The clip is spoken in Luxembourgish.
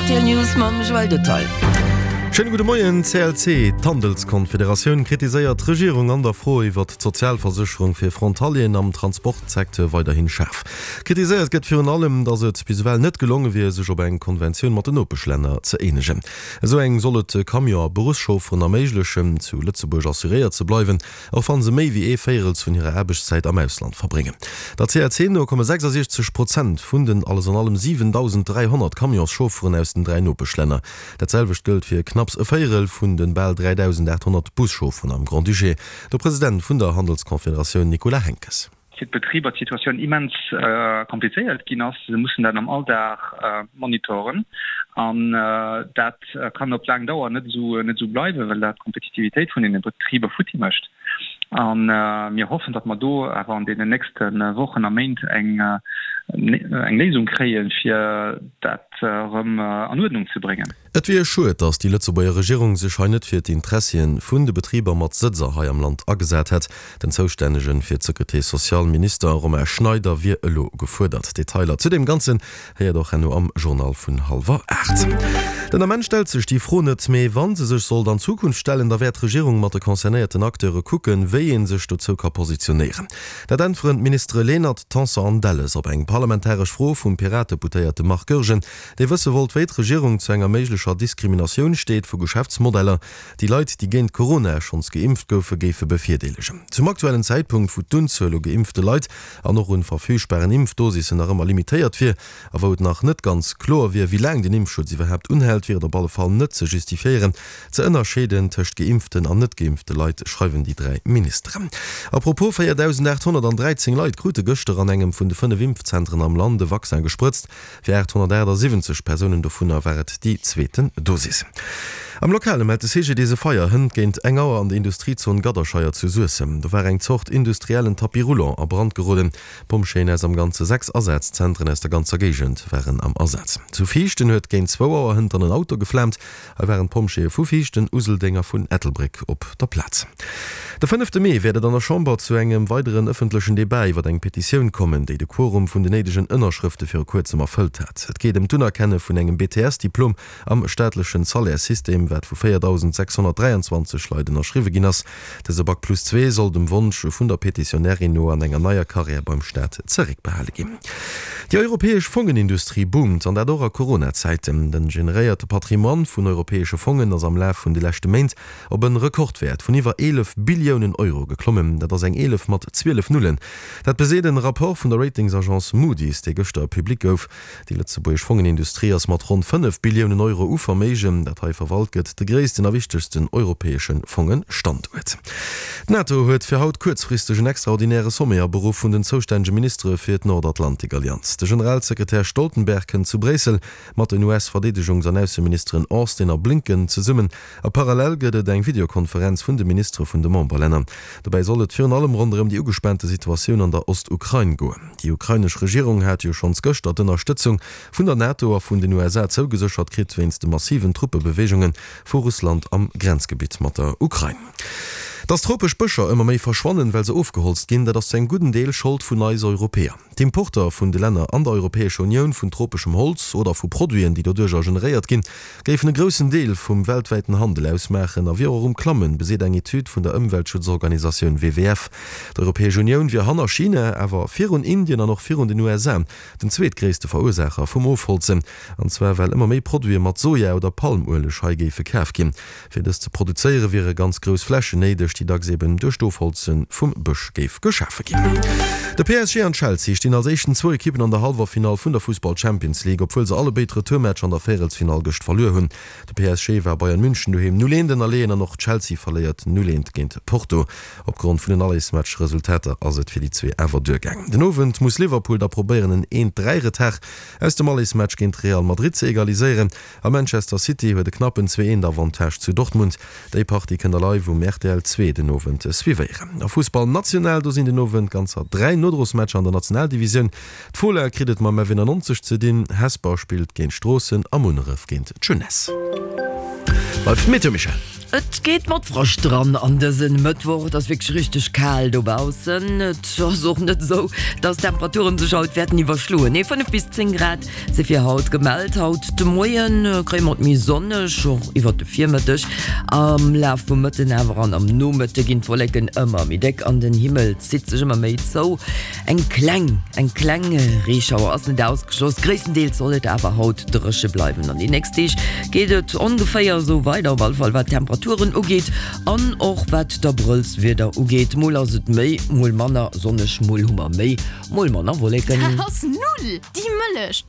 D'RTL News mam Joël Detail. Schéine gudde Moien. CLC, d'Handelskonfederatioun, kritiséiert d'Regierung an der Fro iwwert d'Sozialversécherung fir Frontalieren am Transportsecteur weiderhin schaarf. Kritiséiert gëtt virun allem, datt et bis ewell net gelonge wier, sech op eng Konventioun mat den Nopeschlänner ze eenegen. Esou eng soll et Camion a Beruffschaufferen erméiglechen, zu Lëtzebuerg assuréiert ze bleiwen. Och wann se méi wéi ee Véierels vun hirer Aarbechtszäit am Ausland verbréngen. Der CLC no komme 66 Prozent vun den alles an allem 7.300 Camionschaufferen aus den 3 Nopeschlänner. Dat selwecht gëllt fir knapps e Véierel vun de bal 3.800 Buschaufferen am Grand-Duché. De President vun der Handelsconfederatioun Nicolas Henckes. Fir d'Betriber d'Situatioun immens komplizéiert ginn ass. Se mussen dat am Alldag monitoren an dat kann op laang Dauer net esou net esou bleiwen, well dat d'Kompetitivitéit vun deene Betriber futti mécht. A mir hoffen, datt mer do awer an deenen nächste Wochen a Méint eng eng Léisung kréien, fir dat erëm an Uerdnung ze bréngen. Et wier schued, datt déi Lëtzebuerger Regierung sech hei net fir d'Interessien vun de Betriber mat Sëtzer hei am Land agesat hätt. Den zoustännegen fir d'Securité sociale Minister Romain Schneider wier elo gefuerdert. Detailer zu deem Ganzen héiert och herno am Journal vun hallwer 8. Den Ament stellt sech déi Fro net, mee wa se sech sollt an Zukunft stellen, da wäert d'Regierung mat de concernéierten Acteure kucken, wéi ee sech dozou ka positionéieren. Dat äntweren d'Ministere Lenert, Tanson an Delles op eng parlamentaresch Fro vum Pirateputéierte Marc Goergen, dee wësse wollt, wéi d'Regierung zu enger méiglecher Diskriminatioun steet vu Geschäftsmodeller, déi Leit, déi géint Corona schonns geimpft goufe, géife bevirdeelegen. Zum aktuellen Zäitpunkt, wou d'Unzuel u geimpfte Leit an och un verfügbaren Impfdosissen nach ëmmer limitéiert wier a wou et nach net ganz kloer wier, wéi laang den Impfschutz iwwerhaapt unhält, wier et op alle Fall net ze justifiéieren, ze ënnerscheeden tëscht geimpften an net geimpfte Leit, schreiwen déi 3 Ministeren. A propos, 4.813 Leit krute gëschter an engem vun de 5 Impfzentren am Land e Vaccin gesprëtzt. Fir 878 Persounen dovunner war et déi zweeten Dosis. Am Lokale mellt de CGDIS e Feier hënt géint eng Auer an der Industriezon Gadderscheier zu Suessem. Do war eng Zort industriellen Tapis roulant a Brand geroden. Pompjeeën aus am Ganze 6 Asazentren aus der ganzer Géigend waren am Asaz. Zu Viichten huet géint zwou Auer hënt dann en Auto geflaamt. Hei waren d'Pompjeeë vu Viichten, Useldeng a vun Ettelbréck op der Plaz. De fënnefte Mee wäert et an der Chamber zu engem weideren ëffentlechen Debat iwwer eng Petitioun kommen, déi de Quorum vun den néidegen Ënnerschrëfte viru kuerzem erfëllt hat. Et geet ëm d'Unerkenne vun engem BTS-Diplom am staatlechen Salaire-System, wat vu 4.623 Leit ënnerschriwwe ginn ass. Dëse Bac plus zwee soll dem Wonsch vun der Petitionärin no an enger neier Karriär beim Staat zeréckbehale ginn. Déi europäesch Fongenindustrie boomt, an dat och a Corona-Zäiten. Den generéierte Patrimoine vun europäesche Fongen ass am Laf vun de leschte Méint op en Rekordwäert vun iwwer 11 Billiounen Euro geklommen. Dat ass eng 11 mat 12 Nullen. Dat beseet en Rapport vun der Ratingsagence Moody's, dee gëschter public gouf. Déi lëtzebuergesch Fongenindustrie ass mat ronn 5 Billiounen Euro u Verméigen, dat hei verwalt gëtt, de gréissten a wichtegsten europäesche Fongestanduert. D'NATO huet fir haut kuerzfristeg en extraordinäre Sommet aberuff vun den zoustännege Ministere fir d'Nordatlantikallianz. De Generalsekretär Stoltenberg kënnt zu Bréissel mat den US-Verdeedegungs an Ausseministeren Austin a Blinken zesummen a parallel gëtt et eng Videokonferenz vun de Ministere vun de Memberlänner. Dobäi soll et virun allem ronderëm déi ugespaante Situatioun an der Ostukrain goen. Déi ukrainesch Regierung hat jo schonns gëschter d'Ënnerstëtzung vun der NATO a vun den USA zougeséchert kritt, wéinst de massiven Truppebeweegunge vu Russland am Grenzgebitt mat der Ukrain. Dass tropesch Bëscher ëmmer méi verschwannen, well se ofgeholzt ginn, dat ass zu engem gudden Deel Schold vun eis Europäer. D'Importer vun de Länner an der Europäescher Unioun vun tropeschem Holz oder vu Produiten, déi doduercher generéiert ginn, géifen e groussen Deel vum weltwäiten Handel ausmaachen a wier och um Klammen, beseet eng Etüd vun der Ëmweltschutzorganisatioun WWF. D'Europäesch Unioun wier hanner China, awer virun Indien an och virun den USA den zweetgréisste Verursaacher vum Ofholzen. An zwar well ëmmer méi Produite mat Soja oder Palmueleg hei géife kaf ginn. Fir dës ze produzéiere wiere ganz grouss Flächen néideg, déi dacks eben duerch d'Ofholze vum Bësch géif geschafe ginn. De PSG an Chelsea stinn als éischten zwou Ekippen an der Hallwerfinall vun der Fussball-Champions League, obwuel se allebéid Retourmatch an der Véierelsfinall gëscht verluer hunn. De PSG war Bayern München doheem 0, 1 ënnerleeën an och Chelsea verléiert 0, 1 géint Porto. Opgrond vun den Allesmatch-Resultater ass et fir déi zwee awer duergaang. Den Owend muss Liverpool da probéieren en 1, 3 Retard aus dem Allesmatch géint Real Madrid ze egaliséieren a Manchester City huet e knappen 2, 1 Avantage zu Dortmund. Déi Partie kënnt der live um rtl 2 den Owend suivéieren. A Fussball national, do sinn den Owend ganzer 3 Nodrosmatcher an der Nationaldivisioun. D'Fola kritt et mam F91 ze dinn, Hesper spillt géint Stroossen a Munneref géint d'Jeunesse. Bleift d'Meteo, Michèle. Et geet mat Frascht dran an dësen Mëttwoch. Et ass wierklech richteg kal dobaussen. Et ass och net esou, dass d'Temperaturen sech haut wäerten iwwerschloen. Nee, 5 bis 10 Grad si fir haut gemellt. Haut de Moie kréie mer et méi sonneg, och iwwert de Virmëtteg. Am Laf vum Mëtten awer an am Nomëtte ginn d'Wolleken ëmmer méi déck an den Himmel zitt sech ëmmer méi zou. Eng kleng, eng kleng Reeschauer ass net ausgeschloss, gréisstendeels soll et awer haut dréche bleiwen. An déi nächst Deeg geet et ongeféier esou weider, op alle Fall wat d'Temperaturen ugeet an och wat d'Abrëllswieder ugeet. Mol ass et méi, mol manner sonneg, mol hu mer méi, mol manner Wolleken. Dat ass null! Déi Mëllech!